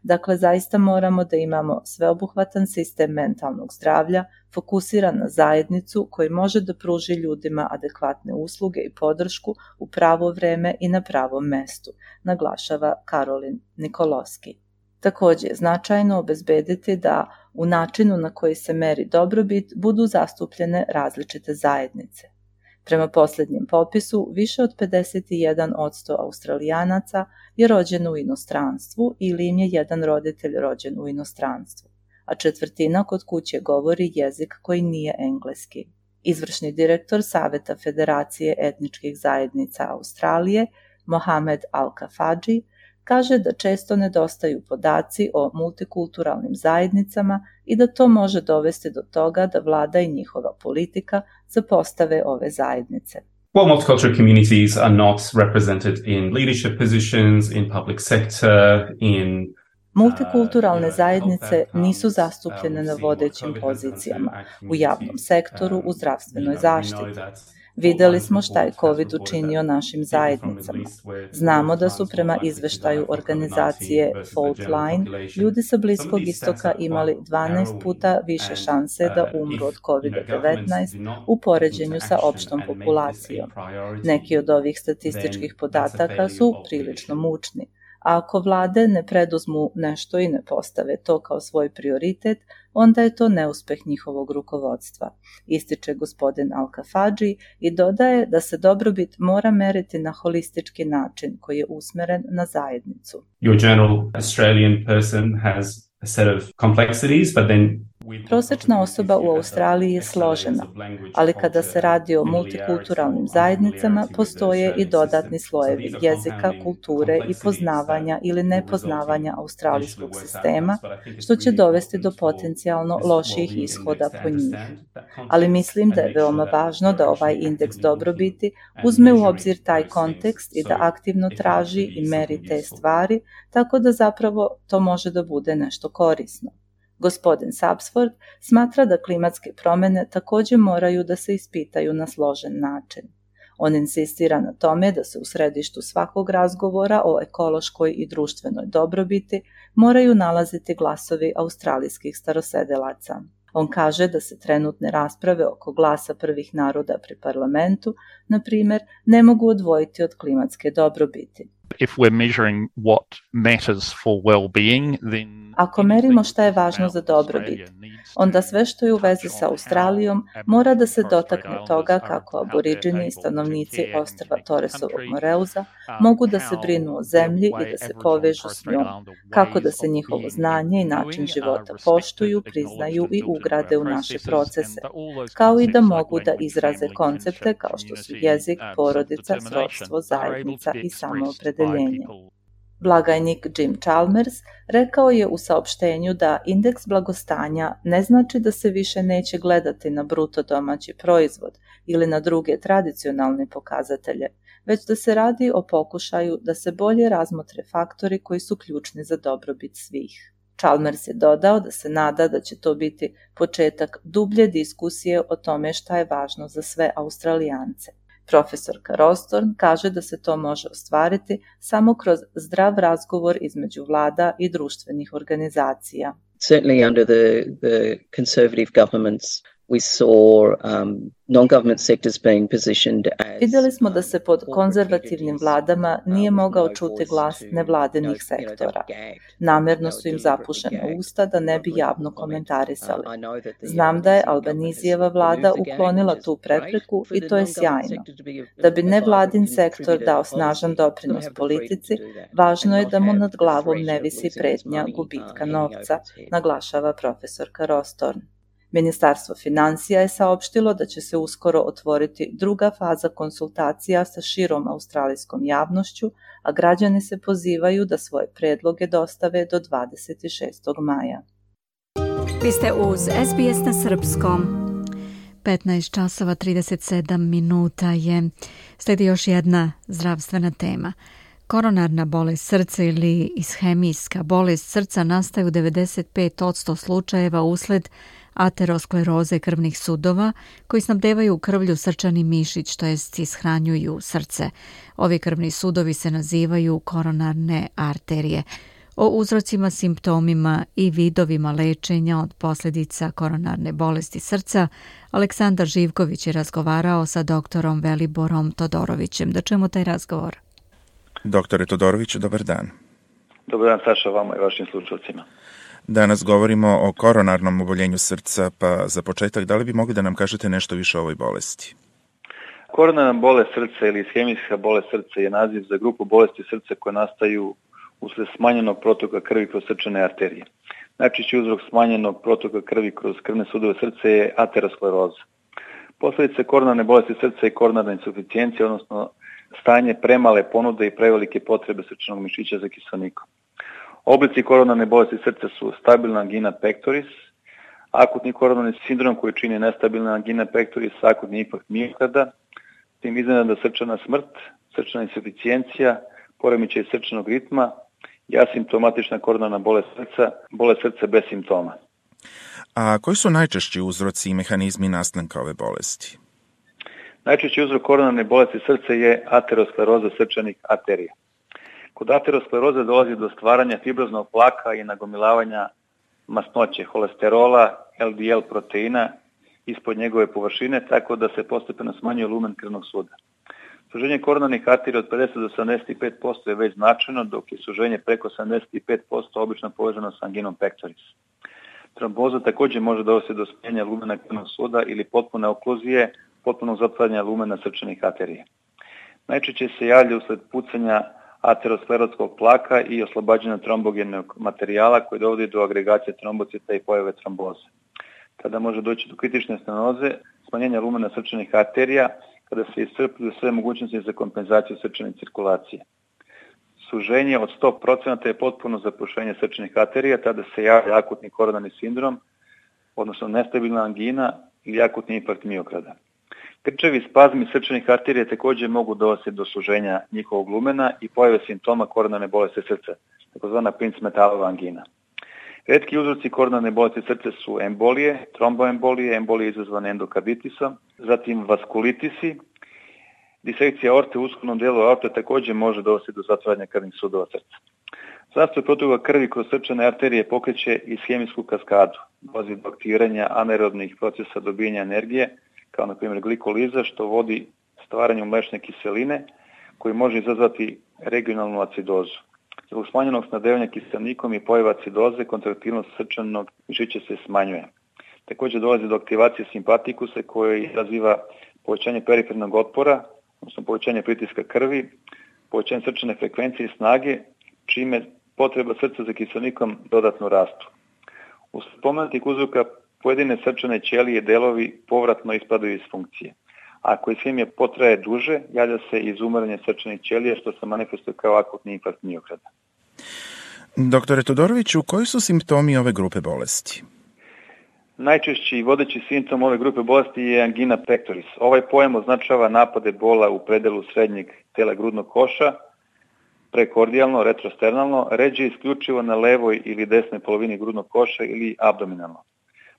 Dakle, zaista moramo da imamo sveobuhvatan sistem mentalnog zdravlja, fokusiran na zajednicu koji može da pruži ljudima adekvatne usluge i podršku u pravo vreme i na pravom mestu, naglašava Caroline Nicoloski. Također je značajno obezbediti da u načinu na koji se meri dobrobit budu zastupljene različite zajednice. Prema posljednjem popisu, više od 51% Australijanaca je rođeno u inostranstvu ili im je jedan roditelj rođen u inostranstvu, a četvrtina kod kuće govori jezik koji nije engleski. Izvršni direktor Saveta Federacije etničkih zajednica Australije, Mohamed Al-Kafaji, kaže da često nedostaju podaci o multikulturalnim zajednicama i da to može dovesti do toga da vlada i njihova politika zapostave ove zajednice. Well, multicultural communities are not represented in leadership positions, in public sector, in Multikulturalne zajednice nisu zastupljene na vodećim pozicijama, u javnom sektoru, u zdravstvenoj zaštiti. Videli smo šta je COVID učinio našim zajednicama. Znamo da su prema izveštaju organizacije Fault Line ljudi sa Bliskog istoka imali 12 puta više šanse da umru od COVID-19 u poređenju sa opštom populacijom. Neki od ovih statističkih podataka su prilično mučni. A ako vlade ne preduzmu nešto i ne postave to kao svoj prioritet, onda je to neuspeh njihovog rukovodstva, ističe gospodin Al-Kafadži i dodaje da se dobrobit mora meriti na holistički način koji je usmeren na zajednicu. Your general Australian person has a set of complexities, but then prosječna osoba u Australiji je složena, ali kada se radi o multikulturalnim zajednicama, postoje i dodatni slojevi jezika, kulture i poznavanja ili nepoznavanja australijskog sistema, što će dovesti do potencijalno loših ishoda po njih. Ali mislim da je veoma važno da ovaj indeks dobrobiti uzme u obzir taj kontekst i da aktivno traži i meri te stvari, tako da zapravo to može da bude nešto korisno. Gospodin Sapsford smatra da klimatske promjene također moraju da se ispitaju na složen način. On insistira na tome da se u središtu svakog razgovora o ekološkoj i društvenoj dobrobiti moraju nalaziti glasovi australijskih starosedelaca. On kaže da se trenutne rasprave oko glasa prvih naroda pri parlamentu, na primjer, ne mogu odvojiti od klimatske dobrobiti. If we're measuring what matters for well-being, then ako merimo šta je važno za dobrobit, onda sve što je u vezi sa Australijom mora da se dotakne toga kako aboriđini i stanovnici ostrva Torresovog Moreuza mogu da se brinu o zemlji i da se povežu s njom, kako da se njihovo znanje i način života poštuju, priznaju i ugrade u naše procese, kao i da mogu da izraze koncepte kao što su jezik, porodica, srodstvo, zajednica i samoopredeljenje. Blagajnik Jim Chalmers rekao je u saopštenju da indeks blagostanja ne znači da se više neće gledati na bruto domaći proizvod ili na druge tradicionalne pokazatelje, već da se radi o pokušaju da se bolje razmotre faktori koji su ključni za dobrobit svih. Chalmers je dodao da se nada da će to biti početak dublje diskusije o tome šta je važno za sve Australijance. Profesorka Rostorn kaže da se to može ostvariti samo kroz zdrav razgovor između vlada i društvenih organizacija. Certainly under the conservative governments we saw non-government sectors being positioned as... Vidjeli smo da se pod konzervativnim vladama nije mogao čuti glas nevladinih sektora. Namjerno su im zapušena usta da ne bi javno komentarisali. Znam da je Albanizijeva vlada uklonila tu prepreku i to je sjajno. Da bi nevladin sektor dao snažan doprinos politici, važno je da mu nad glavom ne visi pretnja gubitka novca, naglašava profesorka Rostorn. Ministarstvo financija je saopštilo da će se uskoro otvoriti druga faza konsultacija sa širom australijskom javnošću, a građani se pozivaju da svoje predloge dostave do 26. maja. Vi ste uz SBS na srpskom. 15 časova 37 minuta je. Slijedi još jedna zdravstvena tema. Koronarna bolest srca ili ishemijska bolest srca nastaje u 95% slučajeva usled ateroskleroze krvnih sudova koji snabdevaju krvlju srčani mišić, to jest ishranjuju srce. Ovi krvni sudovi se nazivaju koronarne arterije. O uzrocima, simptomima i vidovima lečenja od posljedica koronarne bolesti srca Aleksandar Živković je razgovarao sa doktorom Veliborom Todorovićem. Da čujemo taj razgovor. Doktore Todorović, dobar dan. Dobar dan, Saša, vama i vašim slušalcima. Danas govorimo o koronarnom oboljenju srca, pa za početak, da li bi mogli da nam kažete nešto više o ovoj bolesti? Koronarna bolest srca ili ishemijska bolest srca je naziv za grupu bolesti srca koje nastaju usled smanjenog protoka krvi kroz srčane arterije. Najčešći uzrok smanjenog protoka krvi kroz krvne sudove srca je ateroskleroza. Posljedice koronarne bolesti srca i koronarna insuficijencija, odnosno stanje premale ponude i prevelike potrebe srčanog mišića za kiselnikom. Oblici koronarne bolesti srca su stabilna angina pectoris, akutni koronarni sindrom koji čini nestabilna angina pectoris, akutni infarkt miokarda, tim iznenadna srčana smrt, srčana insuficijencija, poremećaj srčanog ritma i asimptomatična koronarna bolest srca bez simptoma. A koji su najčešći uzroci i mehanizmi nastanka ove bolesti? Najčešći uzrok koronarne bolesti srca je ateroskleroza srčanih arterija. Kod ateroskleroze dolazi do stvaranja fibroznog plaka i nagomilavanja masnoće, holesterola, LDL proteina ispod njegove površine, tako da se postepeno smanjuje lumen krvnog suda. Suženje koronarnih arterija od 50 do 75% je već značajno, dok je suženje preko 75% obično povezano sa anginom pectoris. Tromboza također može dovesti do smanjenja lumena krvnog suda ili potpune okluzije, potpunog zatvaranja lumena srčanih arterija. Najčešće se javlja usled pucanja aterosklerotskog plaka i oslobađanja trombogenog materijala koji dovodi do agregacije trombocita i pojave tromboze. Tada može doći do kritične stenoze, smanjenja lumena srčanih arterija, kada se iscrpljuju sve mogućnosti za kompenzaciju srčane cirkulacije. Suženje od 100% je potpuno zapušenje srčanih arterija, tada se javlja akutni koronarni sindrom, odnosno nestabilna angina ili akutni infarkt miokarda. Grčevi spazmi srčanih arterija također mogu dovesti do suženja njihovog lumena i pojave simptoma koronarne bolesti srca, takozvana Prince-Metalova angina. Retki uzroci koronarne bolesti srca su embolije, tromboembolije, embolije izazvane endokarditisom, zatim vaskulitisi, disekcija aorte u uskovnom dijelu aorte također može dovesti do zatvaranja krvnih sudova srca. Zastoj protoka krvi kroz srčane arterije pokreće ishemijsku kaskadu, dolazi do aktiviranja anaerobnih procesa dobijanja energije, kao na primjer glikoliza, što vodi stvaranju mlečne kiseline, koji može izazvati regionalnu acidozu. Zbog smanjenog snabdevanja kiselnikom i pojava acidoze, kontraktilnost srčanog žiče se smanjuje. Također dolazi do aktivacije simpatikusa koji izaziva povećanje perifernog otpora, odnosno povećanje pritiska krvi, povećanje srčane frekvencije i snage, čime potreba srca za kiselnikom dodatno rastu. U spomenutih uzroka pojedine srčane ćelije delovi povratno ispadaju iz funkcije. Ako ishemija potraje duže, javlja se izumiranje srčanih ćelija, što se manifestuje kao akutni infarkt miokarda. Doktore Todoroviću, koji su simptomi ove grupe bolesti? Najčešći i vodeći simptom ove grupe bolesti je angina pectoris. Ovaj pojam označava napade bola u predelu srednjeg tela grudnog koša, prekordijalno, retrosternalno, ređe isključivo na levoj ili desnoj polovini grudnog koša ili abdominalno.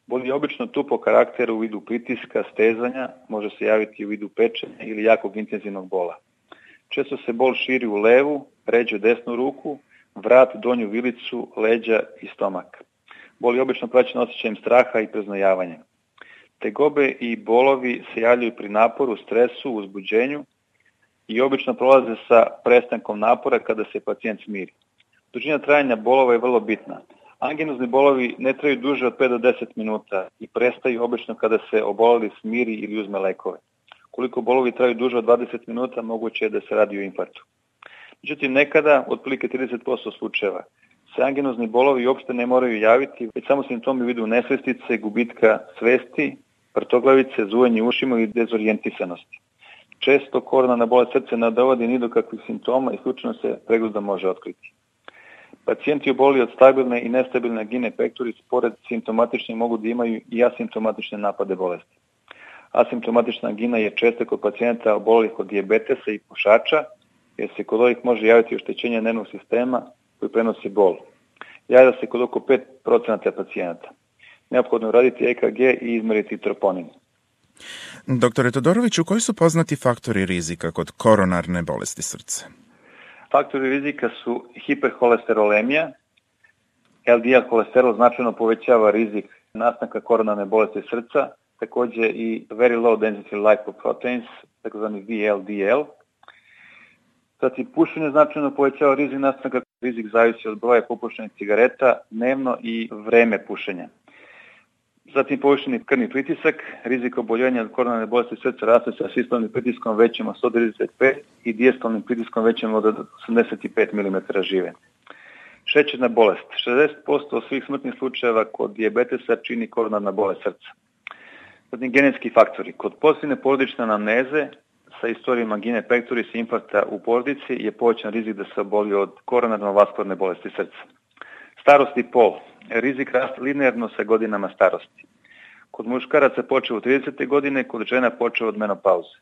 Bol je obično tu po karakteru u vidu pritiska, stezanja, može se javiti u vidu pečenja ili jakog intenzivnog bola. Često se bol širi u levu, ređe desnu ruku, vrat, donju vilicu, leđa i stomak. Bol je obično praćen osjećajem straha i preznojavanja. Tegobe i bolovi se javljaju pri naporu, stresu, uzbuđenju i obično prolaze sa prestankom napora kada se pacijent smiri. Dužina trajanja bolova je vrlo bitna. Anginozni bolovi ne traju duže od 5 do 10 minuta i prestaju obično kada se oboleli smiri ili uzme lekove. Koliko bolovi traju duže od 20 minuta, moguće je da se radi o infarktu. Međutim, nekada, otprilike 30% slučajeva, se anginozni bolovi uopšte ne moraju javiti, već samo simptomi u vidu nesvestice, gubitka svesti, vrtoglavice, zujanje ušima i dezorijentisanosti. Često koronarna bolest srca ne dovodi ni do kakvih simptoma i slučajno se pregledom može otkriti. Pacijenti oboli od stabilne i nestabilne angine pectoris pored simptomatične mogu da imaju i asimptomatične napade bolesti. Asimptomatična angina je često kod pacijenta obolelih od dijabetesa i pušača, jer se kod ovih može javiti oštećenje nervnog sistema koji prenosi bol. Javlja se kod oko 5% pacijenata. Neophodno je raditi EKG i izmeriti troponin. Doktore Todoroviću, koji su poznati faktori rizika kod koronarne bolesti srca? Faktori rizika su hiperholesterolemija. LDL holesterol značajno povećava rizik nastanka koronarne bolesti srca, također i very low density lipoproteins, takozvani VLDL. Zatim, pušenje značajno povećava rizik nastanka, rizik zavisi od broja popušenih cigareta dnevno i vreme pušenja. Zatim, povišeni krvni pritisak, rizik oboljevanja od koronarne bolesti srca raste sa sistolnim pritiskom većim od 135 i dijastolnim pritiskom većim od 85 mm žive. Šećerna bolest. 60% svih smrtnih slučajeva kod dijabetesa čini koronarna bolest srca. Zatim, genetski faktori. Kod pozitivne porodične anamneze sa istorijom angine pectoris i infarkta u porodici je povećan rizik da se oboli od koronarno-vaskularne bolesti srca. Starost i pol. Rizik raste linearno sa godinama starosti. Kod muškaraca počeo od 30. godine, kod žena počeo od menopauze.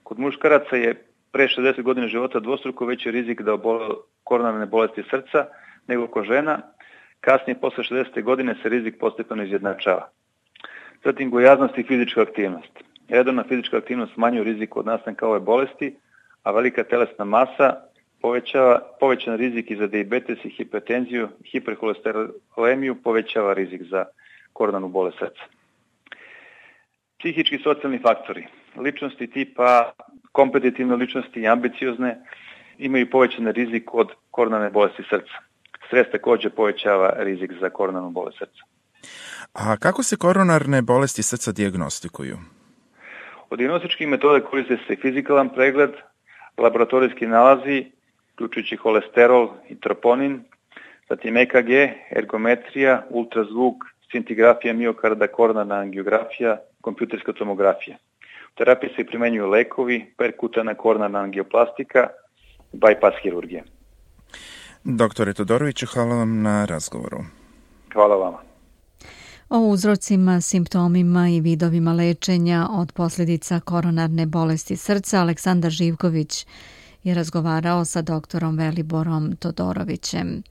Kod muškaraca je pre 60 godina života dvostruko veći rizik da obole koronarne bolesti srca nego kod žena. Kasnije, posle 60. godine, se rizik postepeno izjednačava. Zatim, gojaznost i fizička aktivnost. Redovna fizička aktivnost smanjuje rizik od nastanka ove bolesti, a velika telesna masa povećan rizik i za dijabetes i hipertenziju, hiperholesterolemiju, povećava rizik za koronarnu bolest srca. Psihički i socijalni faktori. Ličnosti tipa kompetitivne ličnosti i ambiciozne imaju povećan rizik od koronarne bolesti srca. Stres također povećava rizik za koronarnu bolest srca. A kako se koronarne bolesti srca dijagnostikuju? Od dijagnostičkih metoda koriste se fizikalan pregled, laboratorijski nalazi, uključujući holesterol i troponin, zatim EKG, ergometrija, ultrazvuk, scintigrafija miokarda, koronarna angiografija, kompjuterska tomografija. U terapiji se primenjuju lekovi, perkutana koronarna angioplastika, bypass hirurgija. Doktore Todoroviću, hvala vam na razgovoru. Hvala vama. O uzrocima, simptomima i vidovima lečenja od posljedica koronarne bolesti srca Aleksandar Živković je razgovarao sa doktorom Veliborom Todorovićem.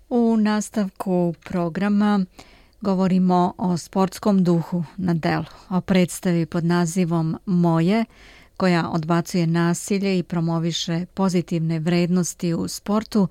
U nastavku programa govorimo o sportskom duhu na delu, o predstavi pod nazivom Moje, koja odbacuje nasilje i promoviše pozitivne vrednosti u sportu.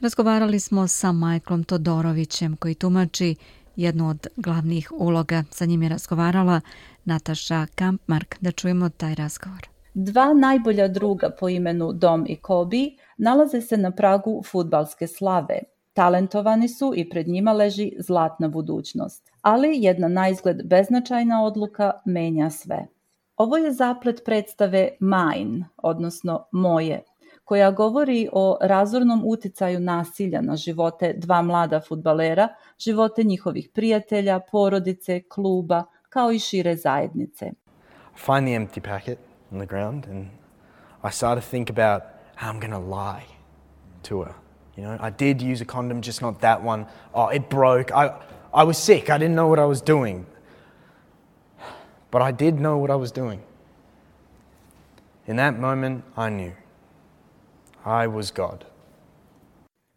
Razgovarali smo sa Michaelom Todorovićem, koji tumači jednu od glavnih uloga. Sa njim je razgovarala Nataša Kampmark. Da čujemo taj razgovor. Dva najbolja druga po imenu Dom i Kobe nalaze se na pragu fudbalske slave. Talentovani su i pred njima leži zlatna budućnost. Ali jedna naizgled beznačajna odluka menja sve. Ovo je zaplet predstave Mine, odnosno Moje, koja govori o razornom uticaju nasilja na živote dva mlada fudbalera, živote njihovih prijatelja, porodice, kluba, kao i šire zajednice. Find the empty packet on the ground and I started to think about how I'm going to lie to her. You know, I did use a condom, just not that one. Oh, it broke. I was sick. I didn't know what I was doing. But I did know what I was doing. In that moment, I knew. I was God.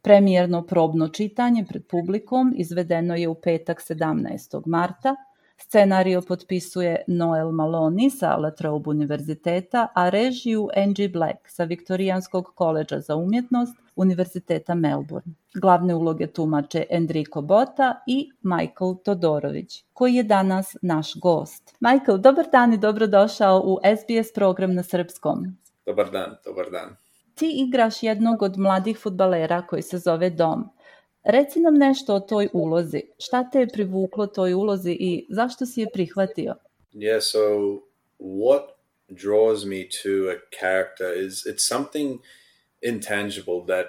Premijerno probno čitanje pred publikom izvedeno je u petak 17. marta. Scenario potpisuje Noel Maloney sa La Trobe univerziteta, a režiju Angie Black sa Viktorijanskog koledža za umjetnost Univerziteta Melbourne. Glavne uloge tumače Enrico Botta i Michael Todorović, koji je danas naš gost. Michael, dobar dan i dobrodošao u SBS program na srpskom. Dobar dan, dobar dan. Ti igraš jednog od mladih fudbalera koji se zove Dom. Reci nam nešto o toj ulozi. Šta te je privuklo toj ulozi i zašto si je prihvatio? Yeah, so what draws me to a character is it's something intangible that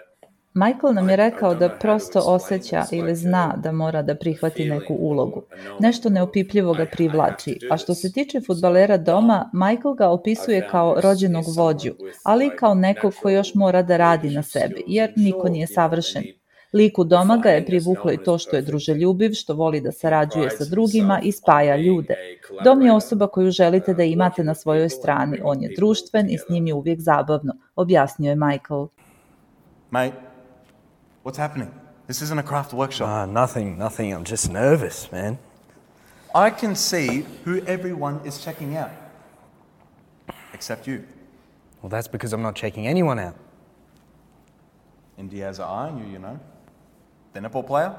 Michael nam je rekao da prosto osjeća ili zna da mora da prihvati neku ulogu. Nešto neopipljivo ga privlači, a što se tiče fudbalera Doma, Michael ga opisuje kao rođenog vođu, ali i kao nekog ko još mora da radi na sebi, jer niko nije savršen. Liku Doma ga je privuklo i to što je druželjubiv, što voli da sarađuje sa drugima i spaja ljude. Dom je osoba koju želite da imate na svojoj strani. On je društven i s njim je uvijek zabavno, objasnio je Michael. Mate, what's happening? This isn't a craft workshop. Nothing. I'm just nervous, man. I can see who everyone is checking out. Except you. Well, that's because I'm not checking anyone out. And Diaz are eyeing you, you know. The netball player?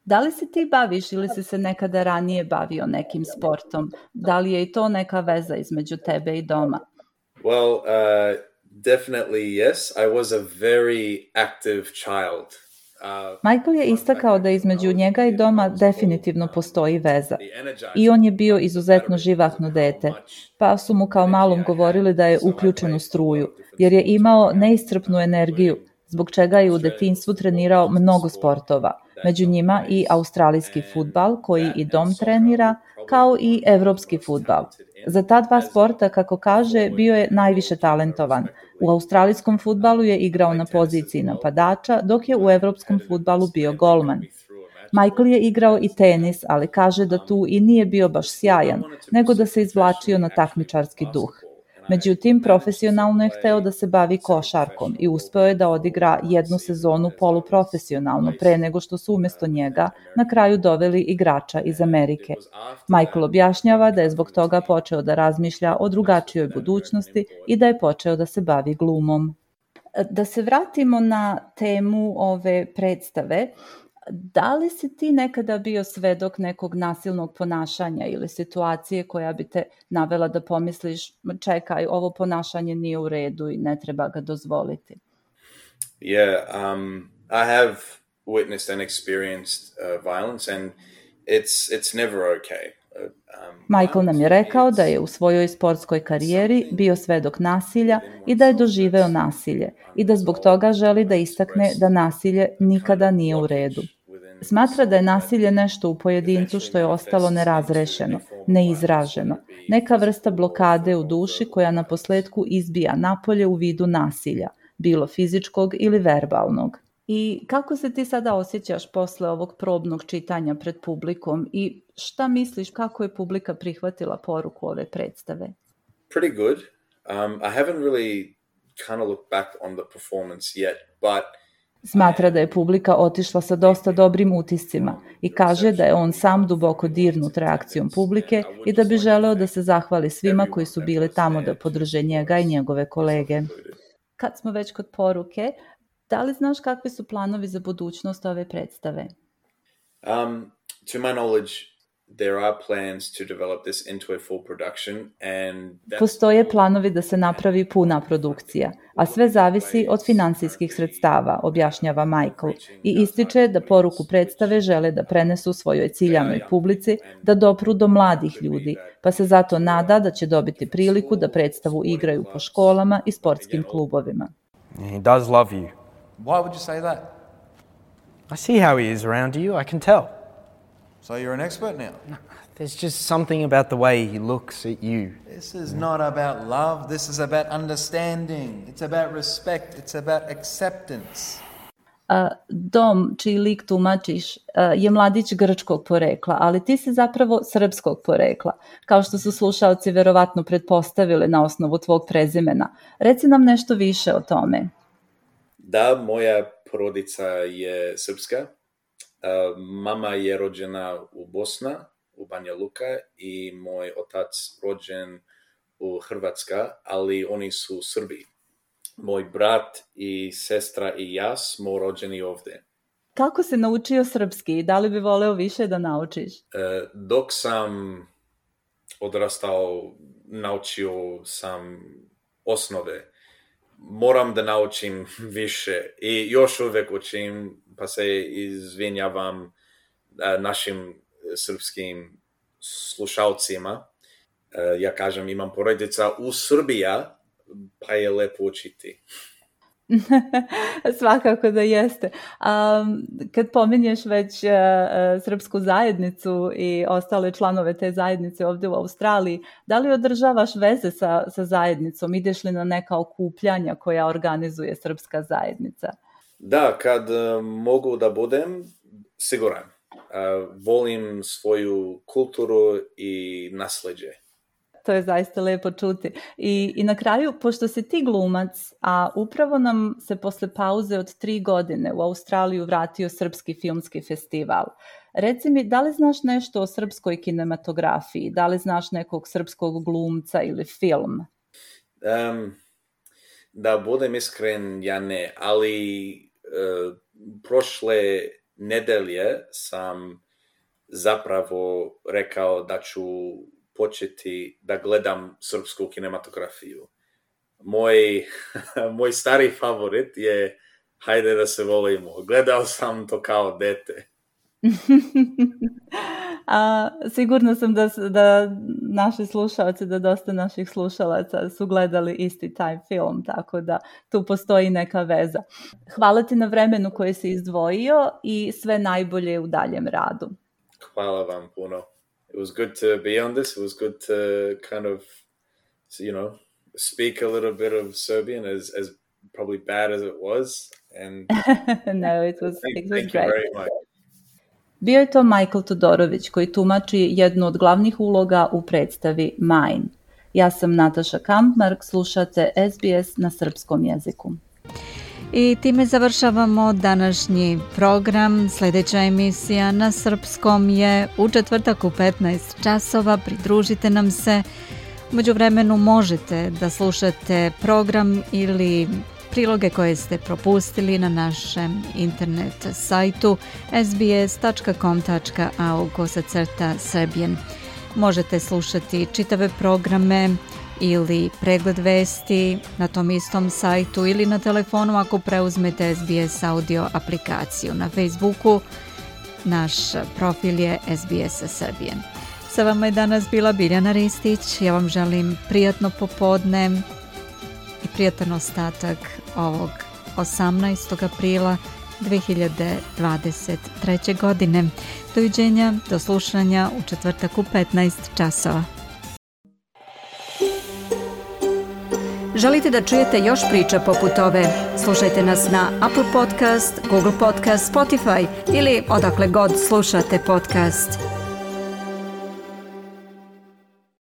Da li se ti baviš ili si se nekada ranije bavio nekim sportom? Da li je i to neka veza između tebe i Doma? Well, definitely yes. I was a very active child. Michael je istakao da između njega i Doma definitivno postoji veza. I on je bio izuzetno živahno dete, pa su mu kao malom govorili da je uključen u struju, jer je imao neiscrpnu energiju, zbog čega je u detinjstvu trenirao mnogo sportova, među njima i australijski fudbal koji i Dom trenira, kao i evropski fudbal. Za ta dva sporta, kako kaže, bio je najviše talentovan. U australijskom fudbalu je igrao na poziciji napadača, dok je u evropskom fudbalu bio golman. Michael je igrao i tenis, ali kaže da tu i nije bio baš sjajan, nego da se izvlačio na takmičarski duh. Međutim, profesionalno je hteo da se bavi košarkom i uspeo je da odigra jednu sezonu poluprofesionalno pre nego što su umjesto njega na kraju doveli igrača iz Amerike. Michael objašnjava da je zbog toga počeo da razmišlja o drugačijoj budućnosti i da je počeo da se bavi glumom. Da se vratimo na temu ove predstave, da li si ti nekada bio svedok nekog nasilnog ponašanja ili situacije koja bi te navela da pomisliš, čekaj, ovo ponašanje nije u redu i ne treba ga dozvoliti? Yeah, I have witnessed and experienced violence and it's never okay. Michael nam je rekao da je u svojoj sportskoj karijeri bio svedok nasilja i da je doživeo nasilje i da zbog toga želi da istakne da nasilje nikada nije u redu. Smatra da je nasilje nešto u pojedincu što je ostalo nerazrešeno, neizraženo, neka vrsta blokade u duši koja na posledku izbija napolje u vidu nasilja, bilo fizičkog ili verbalnog. I kako se ti sada osjećaš posle ovog probnog čitanja pred publikom i šta misliš kako je publika prihvatila poruku ove predstave? Pretty good. I haven't really kind of looked back on the performance yet, but smatra da je publika otišla sa dosta dobrim utiscima i kaže da je on sam duboko dirnut reakcijom publike i da bi želeo da se zahvali svima koji su bili tamo da podrže njega i njegove kolege. Kad smo već kod poruke, da li znaš kakvi su planovi za budućnost ove predstave? To my knowledge, there are plans to develop this into a full production and postoje planovi da se napravi puna produkcija, a sve zavisi od finansijskih sredstava, objašnjava Michael, i ističe da poruku predstave žele da prenesu svojoj ciljanoj publici, da dopru do mladih ljudi, pa se zato nada da će dobiti priliku da predstavu igraju po školama i sportskim klubovima. He does love you. Why would you say that? I see how he is around you, I can tell. So you're an expert now? No, there's just something about the way he looks at you. This is not about love, this is about understanding. It's about respect, it's about acceptance. Dom, čiji lik tumačiš, je mladić grčkog porekla, ali ti si zapravo srpskog porekla, kao što su slušaoci verovatno pretpostavili na osnovu tvog prezimena. Reci nam nešto više o tome. Da, moja porodica je srpska. Mama je rođena u Bosna, u Banja Luka, i moj otac rođen u Hrvatska, ali oni su Srbi. Moj brat i sestra i ja smo rođeni ovdje. Kako si naučio srpski i da li bi voleo više da naučiš? Dok sam odrastao, naučio sam osnove. Moram da naučim više i još uvijek učim, pa se izvinjavam našim srpskim slušalcima. Ja kažem, imam porodica u Srbiji, pa je lepo učiti. Svakako da jeste. Kad pominješ već srpsku zajednicu i ostale članove te zajednice ovdje u Australiji, da li održavaš veze sa zajednicom? Ideš li na neka okupljanja koja organizuje srpska zajednica? Da, kad mogu da budem, siguran. Volim svoju kulturu i nasleđe. To je zaista lepo čuti. I na kraju, pošto si ti glumac, a upravo nam se posle pauze od 3 godine u Australiju vratio Srpski filmski festival. Reci mi, da li znaš nešto o srpskoj kinematografiji? Da li znaš nekog srpskog glumca ili film? Da budem iskren, ja ne, ali prošle nedelje sam zapravo rekao da ću početi da gledam srpsku kinematografiju. Moj stari favorit je Hajde da se volimo. Gledao sam to kao dete. Sigurno sam da naši slušalci, da dosta naših slušalaca su gledali isti taj film, tako da tu postoji neka veza. Hvala ti na vremenu koje si izdvojio i sve najbolje u daljem radu. Hvala vam puno. It was good to be on this. It was good to kind of, speak a little bit of Serbian, as probably bad as it was. And no, it was great. Thank you very much. Bio je to Michael Todorović koji tumači jednu od glavnih uloga u predstavi Mine. Ja sam Nataša Kampmark, slušate SBS na srpskom jeziku. I time završavamo današnji program. Sljedeća emisija na srpskom je u četvrtak u 15 časova. Pridružite nam se. U međuvremenu možete da slušate program ili priloge koje ste propustili na našem internet sajtu sbs.com.au/Serbian. Možete slušati čitave programe ili pregled vesti na tom istom sajtu ili na telefonu ako preuzmete SBS audio aplikaciju. Na Facebooku naš profil je SBS Serbian. Sa vama je danas bila Biljana Ristić. Ja vam želim prijatno popodne i prijatan ostatak ovog 18. aprila 2023. godine. Doviđenja, do slušanja u četvrtak u 15 časova. Želite da čujete još priča poput ove? Slušajte nas na Apple Podcast, Google Podcast, Spotify ili odakle god slušate podcast.